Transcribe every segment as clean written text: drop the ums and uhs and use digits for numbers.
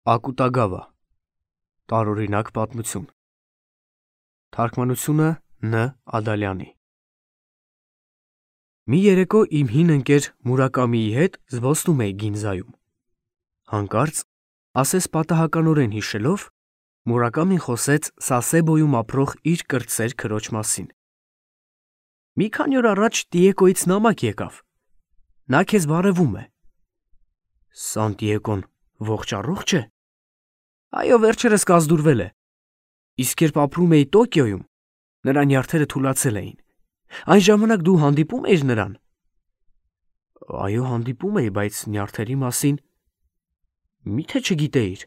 Ակուտագավա տարօրինակ պատմություն Թարգմանությունը Ն. Ադալյանի Մի երեկո իմ հին ընկեր Մուրակամիի հետ զբոսնում էի Գինզայում։ Հանկարծ, ասես պատահականորեն հիշելով, Մուրակամին խոսեց Սասեբոյում ապրող իր կրտսեր քրոջ մասին։ Մի քանի օր առաջ Տիեկոյից նամակ եկավ։ Նա քեզ բարևում է։ Սանտիեկոն ողջ է։ Այո, վերջերս կազդուրվել է։ Իսկ երբ ապրում էի Տոկիոյում, նրա նյարդերը թուլացել էին։ Այն ժամանակ դու հանդիպում էիր նրան։ Այո, հանդիպում էի, բայց նյարդերի մասին միթե չգիտեիր։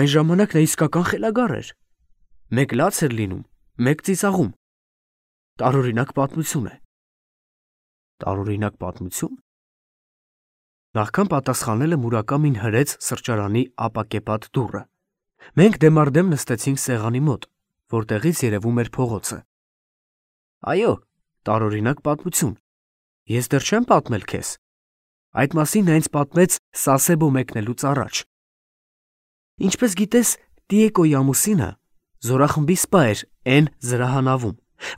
Այն ժամանակ նա իսկական խելագար էր։ Մեկ լաց էր լինում, մեկ ծիծաղում։ Տարօրինակ պատմություն է։ Տարօրինակ պատմություն։ Նախքան պատասխանելը Մուրակամին հրեց սրճարանի ապակեպատ դուռը։ Մենք դեմառդեմ նստեցինք սեղանի մոտ, որտեղից երևում էր փողոցը։ Այո, տարօրինակ պատմություն։ Ես դեռ չեմ պատմել քեզ։ Այդ մասին նա ինձ պատմեց Սասեբո մեկնելուց առաջ։ Ինչպես գիտես, Տիեկոյի ամուսինը զորախմբի սպա էր N զրահանավում,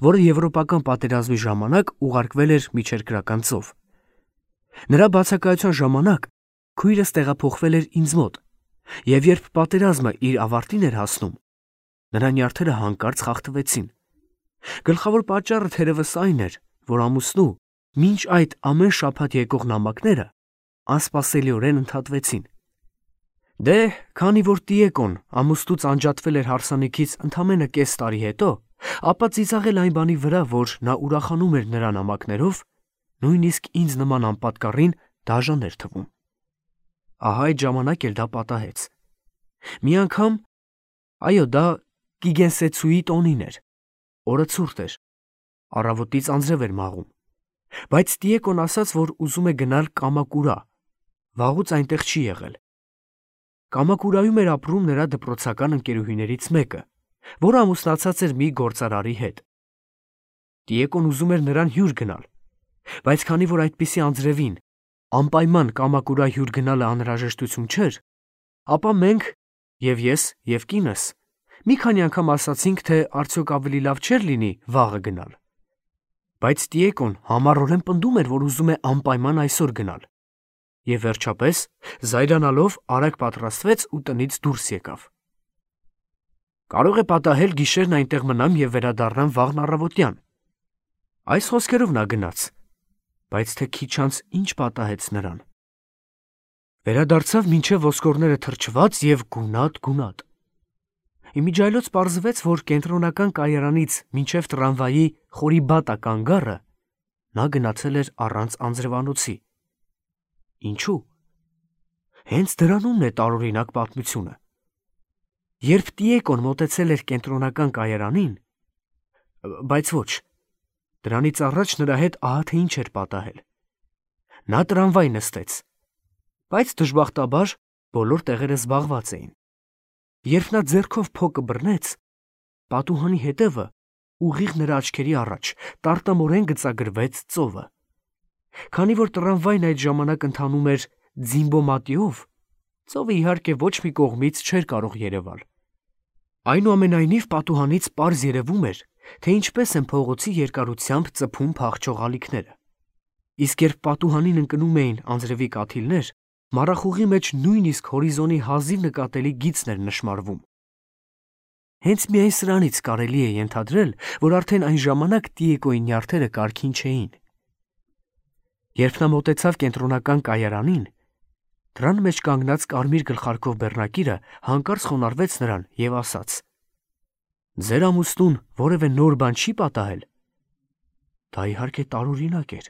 որը Եվրոպական պատերազմի ժամանակ ուղարկվել էր Միջերկրական ծով։ Նրա բացակայության ժամանակ քույրս տեղափոխվել էր ինձ մոտ, և երբ պատերազմը իր ավարտին էր հասնում, նրա նյարդերը հանկարծ խախտվեցին։ Գլխավոր պատճառը թերևս այն էր, որ ամուսնու մինչ այդ ամեն շաբաթ եկող նամակները անսպասելիորեն ընդհատվեցին։ Դե, քանի որ Տիեկոն ամուսնուց անջատվել էր հարսանիքից ընդամենը կես տարի հետո, ապա ծիծաղել այն բանի վրա, որ նա ուրախանում էր նրա նամակներով, նույնիսկ ինձ նման անպատկառին դաժան էր թվում։ Ահա այդ ժամանակ էլ դա պատահեց։ Մի անգամ, այո, դա Կիգենսեցուի տոնին էր, օրը ցուրտ էր, առավոտից անձրև էր մաղում, բայց Տիեկոն ասաց, որ ուզում է գնալ Կամակուրա, վաղուց այնտեղ չի եղել։ Կամակուրայում էր ապրում նրա դպրոցական ընկերուհիներից մեկը, որը ամուսնացած էր մի գործարարի հետ։ Տիեկոն ուզում էր նրան հյուր գնալ, բայց քանի որ այդպիսի անձրևին անպայման Կամակուրա հյուր գնալը անհրաժեշտություն չէր, ապա մենք, և ես, և կինս, մի քանի անգամ ասացինք, թե արդյոք ավելի լավ չէր լինի վաղը գնալ։ Բայց Տիեկոն համառորեն պնդում էր, որ ուզում է անպայման այսօր գնալ, և վերջապես, զայրանալով, արագ պատրաստվեց ու տնից դուրս եկավ։ Կարող է պատահել գիշերն այնտեղ մնամ և վերադառնամ վաղն առավոտյան։ Այս խոսքերով նա գնաց, բայց թե քիչ անց ինչ պատահեց նրան։ Վերադարձավ մինչև ոսկորները թրջված և գունատ։ Իմիջիայլոց պարզվեց, որ կենտրոնական կայարանից մինչև տրամվայի Խորիբատա կանգառը նա գնացել էր առանց անձրևանոցի։ Ինչու՞։ Հենց դրանումն է տարօրինակ պատմությունը։ Երբ Տիեկոն մոտեցել էր կենտրոնական կայարանին, բայց ոչ, դրանից առաջ նրա հետ ահա թե ինչ էր պատահել։ Նա տրամվայ նստեց, բայց դժբախտաբար բոլոր տեղերը զբաղված էին։ Երբ նա ձեռքով փոկը բռնեց, պատուհանի հետևը ուղիղ նրա աչքերի առաջ տարտամորեն գծագրվեց ծովը։ Քանի որ տրամվայն այդ ժամանակ ընթանում էր ձիմբոմատիով, ծովը իհարկե ոչ մի կողմից չէր կարող երևալ։ Այնուամենայնիվ պատուհանից պարզ երևում էր, թե ինչպես են փողոցի երկարությամբ ծփում փախչող ալիքները։ Իսկ երբ պատուհանին ընկնում էին անձրևի կաթիլներ, մառախուղի մեջ նույնիսկ հորիզոնի հազիվ նկատելի գիծն էր նշմարվում։ Հենց միայն սրանից կարելի է ենթադրել, որ արդեն այն ժամանակ Տիեկոյի նյարդերը կարգին չէին։ Երբ նա մոտեցավ կենտրոնական կայարանին, դրան մեջ կանգնած կարմիր գլխարկով բեռնակիրը հանկարծ խոնարհվեց նրան և ասաց. «Ձեր ամուսնուն որևէ նոր բան չի պատահել»։ Դա իհարկե տարօրինակ էր,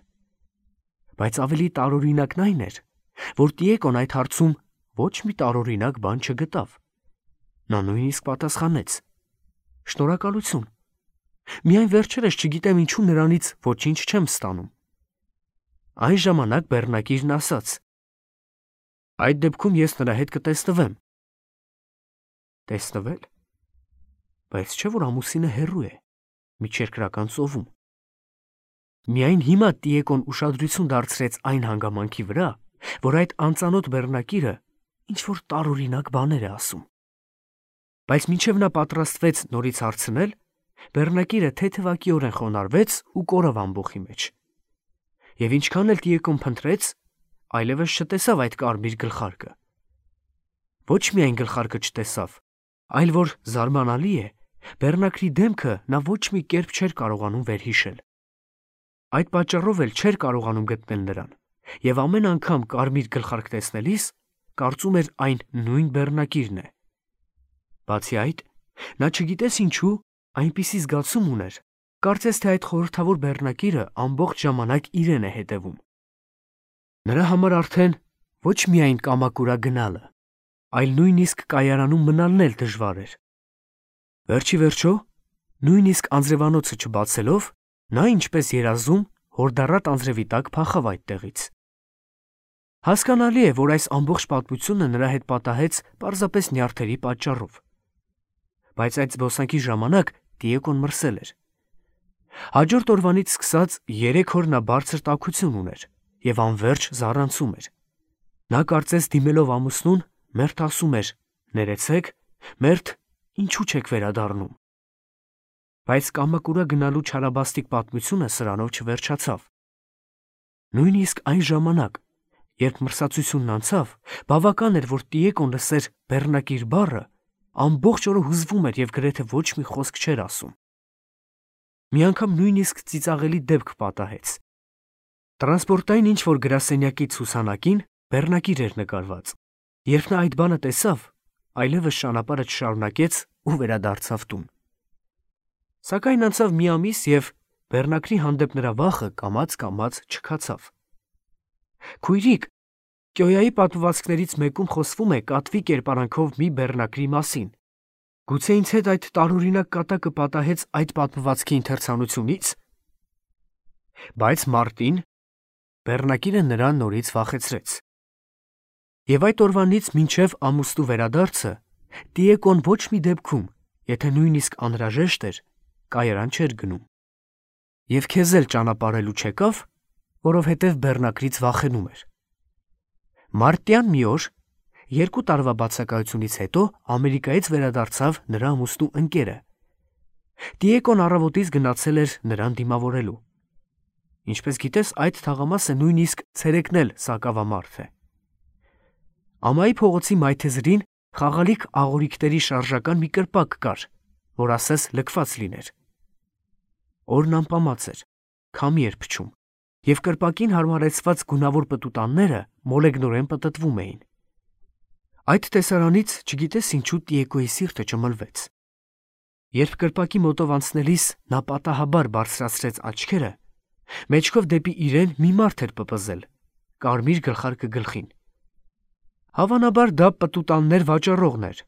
բայց ավելի տարօրինակն այն էր, որ Տիեկոն այդ հարցում ոչ մի տարօրինակ բան չգտավ։ Նա նույնիսկ պատասխանեց. «Շնորհակալություն։ Միայն վերջերս չգիտեմ ինչու նրանից ոչինչ չեմ ստանում»։ Այն ժամանակ բեռնակիրն ասաց. «Այդ դեպքում ես նրա հետ կտեսնվեմ»։ Տեսնվել։ Բայց չէ՞ որ ամուսինը հեռու է, Միջերկրական ծովում։ Միայն հիմա Տիեկոն ուշադրություն դարձրեց այն հանգամանքի վրա, որ այդ անծանոթ բեռնակիրը ինչ-որ տարօրինակ բաներ է ասում։ Բայց մինչև նա պատրաստվեց նորից հարցնել, բեռնակիրը թեթևակիորեն խոնարհվեց ու կորավ ամբոխի մեջ։ Եվ ինչքան էլ Տիեկոն փնտրեց, այլևս չտեսավ այդ կարմիր գլխարկը։ Ոչ միայն գլխարկը չտեսավ, այլ որ զարմանալի է, բեռնակրի դեմքը նա ոչ մի կերպ չէր կարողանում վերհիշել։ Այդ պատճառով էլ չէր կարողանում գտնել նրան, եւ ամեն անգամ կարմիր գլխարկ տեսնելիս կարծում էր այն նույն բեռնակիրն է։ Բացի այդ, նա չգիտես ինչու այնպիսի զգացում ուներ, կարծես թե այդ խորհրդավոր բեռնակիրը ամբողջ ժամանակ իրեն է հետևում։ Նրա համար արդեն ոչ միայն Կամակուրա գնալը, այլ նույնիսկ կայարանում մնալն էլ դժվար էր։ Վերջի վերջո, նույնիսկ անձրևանոցը չբացելով, նա ինչպես երազում հորդառատ անձրևի տակ փախավ այդտեղից։ Հասկանալի է, որ այս ամբողջ պատմությունը նրա հետ պատահեց պարզապես նյարդերի պատճառով։ Բայց այդ զբոսանքի ժամանակ Տիեկոն մրսել էր։ Հաջորդ օրվանից սկսած 3 օր նա բարձր տաքություն ուներ եւ անverջ զառանցում էր։ Նա կարծես դիմելով ամուսնուն, մերթ ասում էր. «Ներեցեք, մերթ, ինչու չեք վերադառնում»։ Բայց Կամակուրա գնալու չարաբաստիկ պատմությունը սրանով չվերջացավ։ Նույնիսկ այն ժամանակ, երբ մրսածությունն անցավ, բավական էր, որ Տիեկոն լսեր բեռնակիր բառը, ամբողջ օրը հուզվում էր եւ գրեթե ոչ մի խոսք չէր ասում։ Մի անգամ նույնիսկ ծիծաղելի դեպք պատահեց։ Տրանսպորտային ինչ-որ գրասենյակի ցուցանակին բեռնակիր էր նկարված։ Երբ նա այդ բանը տեսավ, այլևս ճանապարհը չշարունակեց ու վերադարձավ տուն։ Սակայն անցավ մի ամիս եւ բեռնակրի հանդեպ նրա վախը կամաց-կամաց չքացավ։ Քույրիկ, Կյոյայի պատմվածքներից մեկում խոսվում է կատվի կերպարանքով մի բեռնակրի մասին։ Գուցե ինձ հետ այդ տարօրինակ կատակը պատահեց այդ պատմվածքի ընթերցանությունից։ Բայց մարտին բեռնակիրը նրան նորից վախեցրեց։ Եվ այդ օրվանից մինչև ամուսնու վերադարձը Տիեկոն ոչ մի դեպքում, եթե նույնիսկ անհրաժեշտ էր, կայարան չէր գնում։ Եվ քեզ էլ ճանապարհելու չեկավ, որովհետև բեռնակրից վախենում էր։ Մարտյան մի օր, 2 տարվա բացակայությունից հետո Ամերիկայից վերադարձավ նրա ամուսնու ընկերը։ Տիեկոն առավոտից գնացել էր նրան դիմավորելու։ Ինչպես գիտես, այդ թաղամասը նույնիսկ ցերեկն էլ սակավամարդ է։ Ամայի փողոցի մայթեզրին խաղալիք աղորիկների շարժական մի կրպակ կար, որ ասես լքված լիներ։ Օրն անպամած էր, քամի էր փչում, եւ կրպակին հարմարեցված գունավոր պտուտանները մոլեգնորեն պտտվում էին։ Այդ տեսարանից չգիտես ինչու Տիեկոյի սիրտը ճմլվեց։ Երբ կրպակի մոտով անցնելիս նա պատահաբար բարձրացրեց աչքերը, մեջքով դեպի իրեն մի մարդ էր պպզել, կարմիր գլխարկը գլխին։ Հավանաբար դա պտուտաններ վաճառողն էր,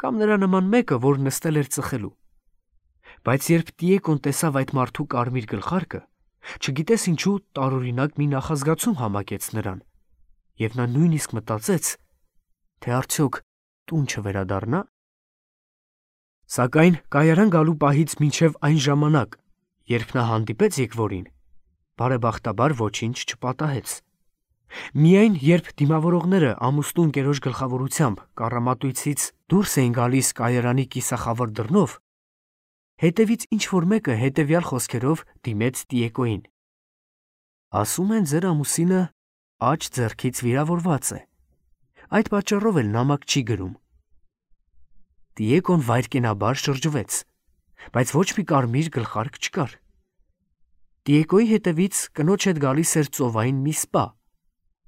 կամ նրա նման մեկը, որ նստել էր ծխելու։ Բայց երբ Տիեկոն տեսավ այդ մարդու կարմիր գլխարկը, չգիտես ինչու տարօրինակ մի նախազգացում համակեց նրան, եւ նա նույնիսկ մտածեց, թե արդյոք տուն չվերադառնա։ Սակայն կայարան գալու պահից մինչև այն ժամանակ, երբ նա հանդիպեց եկվորին, բարեբախտաբար ոչինչ չպատահեց։ Միայն երբ դիմավորողները ամուսնու ընկերոջ գլխավորությամբ կառամատույցից դուրս էին գալիս կայարանի կիսախավար դռնով, հետևից ինչ-որ մեկը հետևյալ խոսքերով դիմեց Տիեկոյին. «Ասում են, ձեր ամուսինը աջ ձեռքից վիրավորված է, այդ պատճառով էլ նամակ չի գրում»։ Տիեկոն վայրկենաբար շրջվեց, բայց ոչ մի կարմիր գլխարկ չկար։ Տիեկոյի հետևից կնոջ հետ գալիս էր ծովային մի սպա,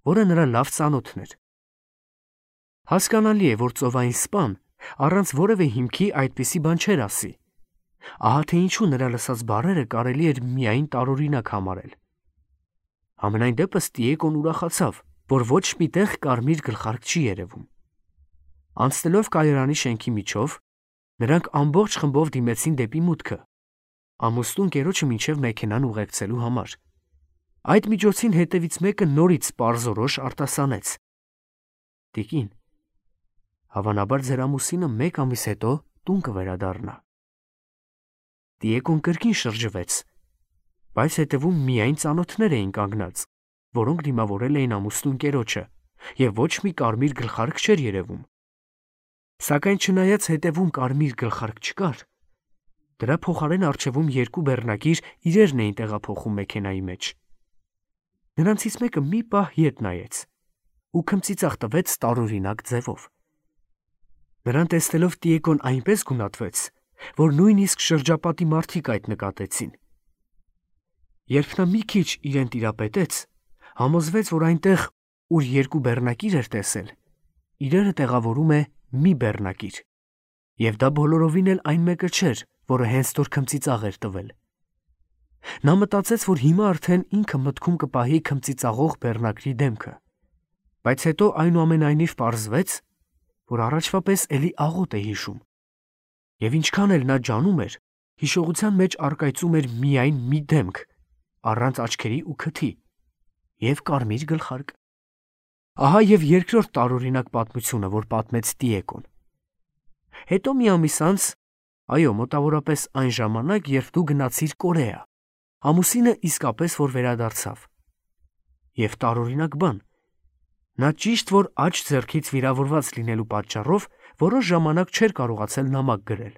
որը նրա լավ ծանոթն էր։ Հասկանալի է, որ ծովային սպան առանց որևէ հիմքի այդպիսի բան չէր ասի։ Ահա թե ինչու նրա լսած բառերը կարելի էր միայն տարօրինակ համարել։ Համենայն դեպս Տիեկոն ուրախացավ, որ ոչ միտեղ կարմիր գլխարկ չի երևում։ Անցնելով կայարանի շենքի միջով, նրանք ամբողջ խմբով դիմեցին դեպի մուտքը, ամուսնու ընկերոջը մինչև մեքենան ուղեկցելու համար։ Այդ միջոցին հետևից մեկը նորից պարզորոշ արտասանեց. «Տիկին, հավանաբար ձեր ամուսինը 1 ամիս հետո տուն կվերադառնա»։ Տիեկոն կրկին շրջվեց, բայց հետևում միայն ծանոթներ էին կանգնած, որոնք դիմավորել էին ամուսնու ընկերոջը, և ոչ մի կարմիր գլխարկ չէր երևում։ Սակայն չնայած հետևում կարմիր գլխարկ չկար, դրա փոխարեն առջևում երկու բեռնակիր իրերն էին տեղափոխում մեքենայի մեջ։ Նրանցից մեկը մի պահ ետ նայեց ու քմծիծաղ տվեց տարօրինակ ձևով։ Նրան տեսնելով Տիեգոն այնպես գունատվեց, որ նույնիսկ շրջապատի մարդիկ այդ նկատեցին։ Երբ նա մի քիչ իրեն տիրապետեց, համոզվեց, որ այնտեղ, ուր երկու բեռնակիր էր տեսել, իրերը տեղավորում է մի բեռնակիր, և դա բոլորովին էլ այն մեկը չէր, որը հենց նոր քմծիծաղ էր տվել։ Նա մտածեց, որ հիմա արդեն ինքը մտքում կպահի քմծիծաղող բեռնակրի դեմքը, բայց հետո այնուամենայնիվ պարզվեց, որ առաջվա պես էլի աղոտ է հիշում, և ինչքան էլ նա ջանում էր, հիշողության մեջ առկայծում էր միայն մի դեմք, առանց աչքերի ու քթի, և կարմիր գլխարկ։ Ահա և երկրորդ տարօրինակ պատմությունը, որ պատմեց Տիեգոն։ Հետո մի ամիս անց, այո, մոտավորապես այն ժամանակ, երբ դու գնացիր Կորեա, ամուսինը իսկապես որ վերադարձավ։ Եվ տարօրինակ բան, նա ճիշտ որ աջ ձեռքից վիրավորված լինելու պատճառով որոշ ժամանակ չէր կարողացել նամակ գրել։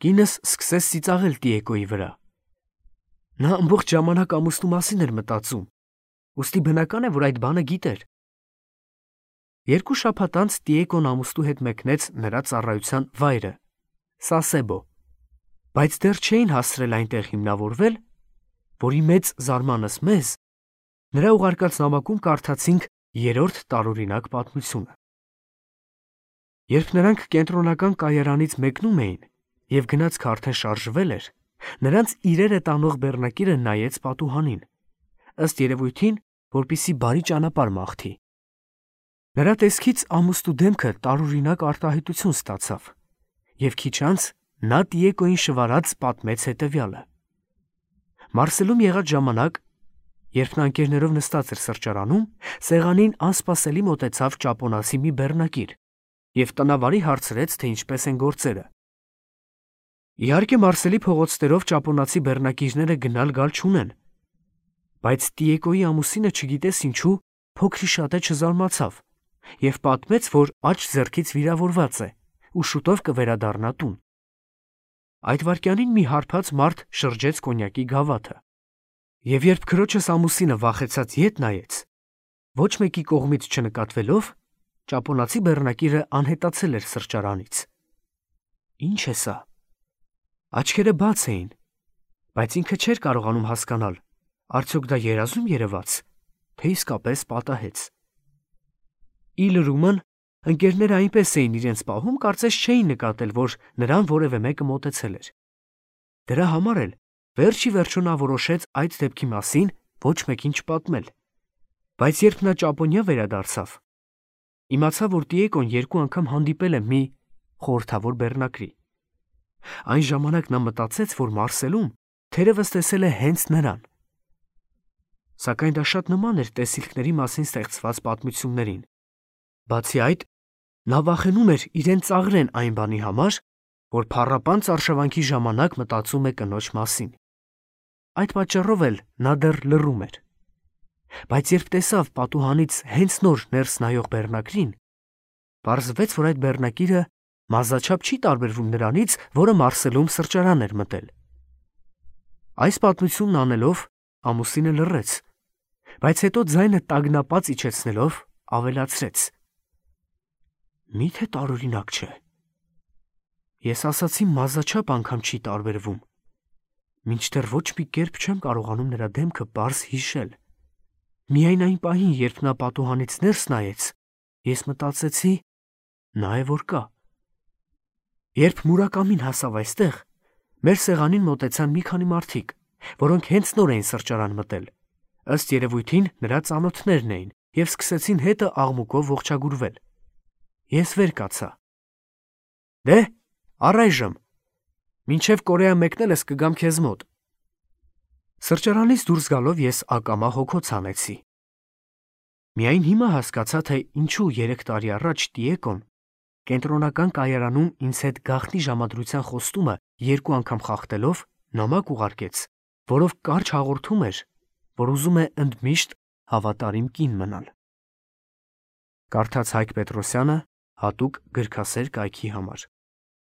Կինս սկսեց ծիծաղել Տիեգոյի վրա։ Նա ամբողջ ժամանակ ամուսնու մասին էր մտածում, ուստի բնական է, որ այդ բանը գիտեր։ 2 շաբաթ անց Տիեգոն ամուսնու հետ մեկնեց նրա ծառայության վայրը՝ Սասեբո, բայց դեռ չէին հասցրել այնտեղ հիմնավորվել, որի մեծ զարմանս մեզ նրա ուղարկած նամակում կարդացինք 3-րդ տարօրինակ պատմությունը։ Երբ նրանք կենտրոնական կայարանից մեկնում էին և գնացքը արդեն շարժվել էր, նրանց իրերը տանող բեռնակիրը նայեց պատուհանին, ըստ երևույթին, որպեսզի բարի ճանապարհ մաղթի։ Նրա տեսքից ամուսնու դեմքը տարօրինակ արտահայտություն ստացավ, և քիչ անց նա Տիեգոյին շվարած պատմեց հետևյալը. Մարսելում եղած ժամանակ, երբ նա ընկերներով նստած էր սրճարանում, սեղանին անսպասելի մոտեցավ ճապոնացի մի բեռնակիր և տնավարի հարցրեց, թե ինչպես են գործերը։ Իհարկե, Մարսելի փողոցներով ճապոնացի բեռնակիրները գնալ-գալ չունեն, բայց Տիեգոյի ամուսինը չգիտես ինչու փոքրիշատե չզարմացավ և պատմեց, որ աջ ձեռքից վիրավորված է ու շուտով կվերադառնա տուն։ Այդ վայրկյանին մի հարբած մարդ շրջեց կոնյակի գավաթը, և երբ քրոջս ամուսինը վախեցած ետ նայեց, ոչ մեկի կողմից չնկատվելով, ճապոնացի բեռնակիրը անհետացել էր սրճարանից։ Ինչ է սա։ Աչքերը բաց էին, բայց ինքը չէր կարողանում հասկանալ, արդյոք դա երազում երևաց, թե իսկապես պատահեց։ Ի լրումն, ընկերները այնպես էին իրենց պահում, կարծես չէին նկատել, որ նրան որևէ մեկը մոտեցել էր։ Դրա համար էլ վերջ ի վերջո նա որոշեց այդ դեպքի մասին ոչ մեկին չպատմել։ Բայց երբ նա Ճապոնիա վերադարձավ, իմացավ, որ Տիեգոն 2 անգամ հանդիպել է մի խորհրդավոր բեռնակրի։ Այն ժամանակ նա մտածեց, որ Մարսելում թերևս տեսել է հենց նրան։ Սակայն դա շատ նման էր տեսիլքների մասին ստեղծված պատմություններին։ Բացի այդ, նա վախենում էր իրեն ծաղրեն այն բանի համար, որ փառապանծ արշավանքի ժամանակ մտածում է կնոջ մասին։ Այդ պատճառով էլ նա դեռ լռում էր։ Բայց երբ տեսավ պատուհանից հենց նոր ներս նայող բեռնակրին, պարզվեց, որ այդ բեռնակիրը մազաչափ չի տարբերվում նրանից, որը Մարսելում սրճարան էր մտել։ Այս պատմությունն անելով ամուսինը լռեց, բայց հետո ձայնը տագնապած իջեցնելով ավելացրեց. Միթե տարօրինակ չէ։ Ես ասացի մազաչափ անգամ չի տարբերվում, մինչդեռ ոչ մի կերպ չեմ կարողանում նրա դեմքը պարզ հիշել։ Միայն այն պահին, երբ նա պատուհանից ներս նայեց, ես մտածեցի, նա է որ կա։ Երբ Մուրակամին հասավ այստեղ, մեր սեղանին մոտեցան մի քանի մարդիկ, որոնք հենց նոր էին սրճարան մտել։ Ըստ երևույթին նրա ծանոթներն էին և սկսեցին հետը աղմուկով ողջագուրվել։ Ես վեր կացա։ Դե, առայժմ, մինչև Կորեա մեկնելս կգամ քեզ մոտ։ Սրճարանից դուրս գալով ես ակամա հոգոց հանեցի։ Միայն հիմա հասկացա, թե ինչու 3 տարի առաջ Տիեգոն կենտրոնական կայարանում ինձ հետ գաղտնի ժամադրության խոստումը 2 անգամ խախտելով նամակ ուղարկեց, որով կարճ հաղորդում էր, որ ուզում է ընդմիշտ հավատարիմ կին մնալ։ Կարդաց Հայկ Պետրոսյանը հատուկ գրքասեր կայքի համար։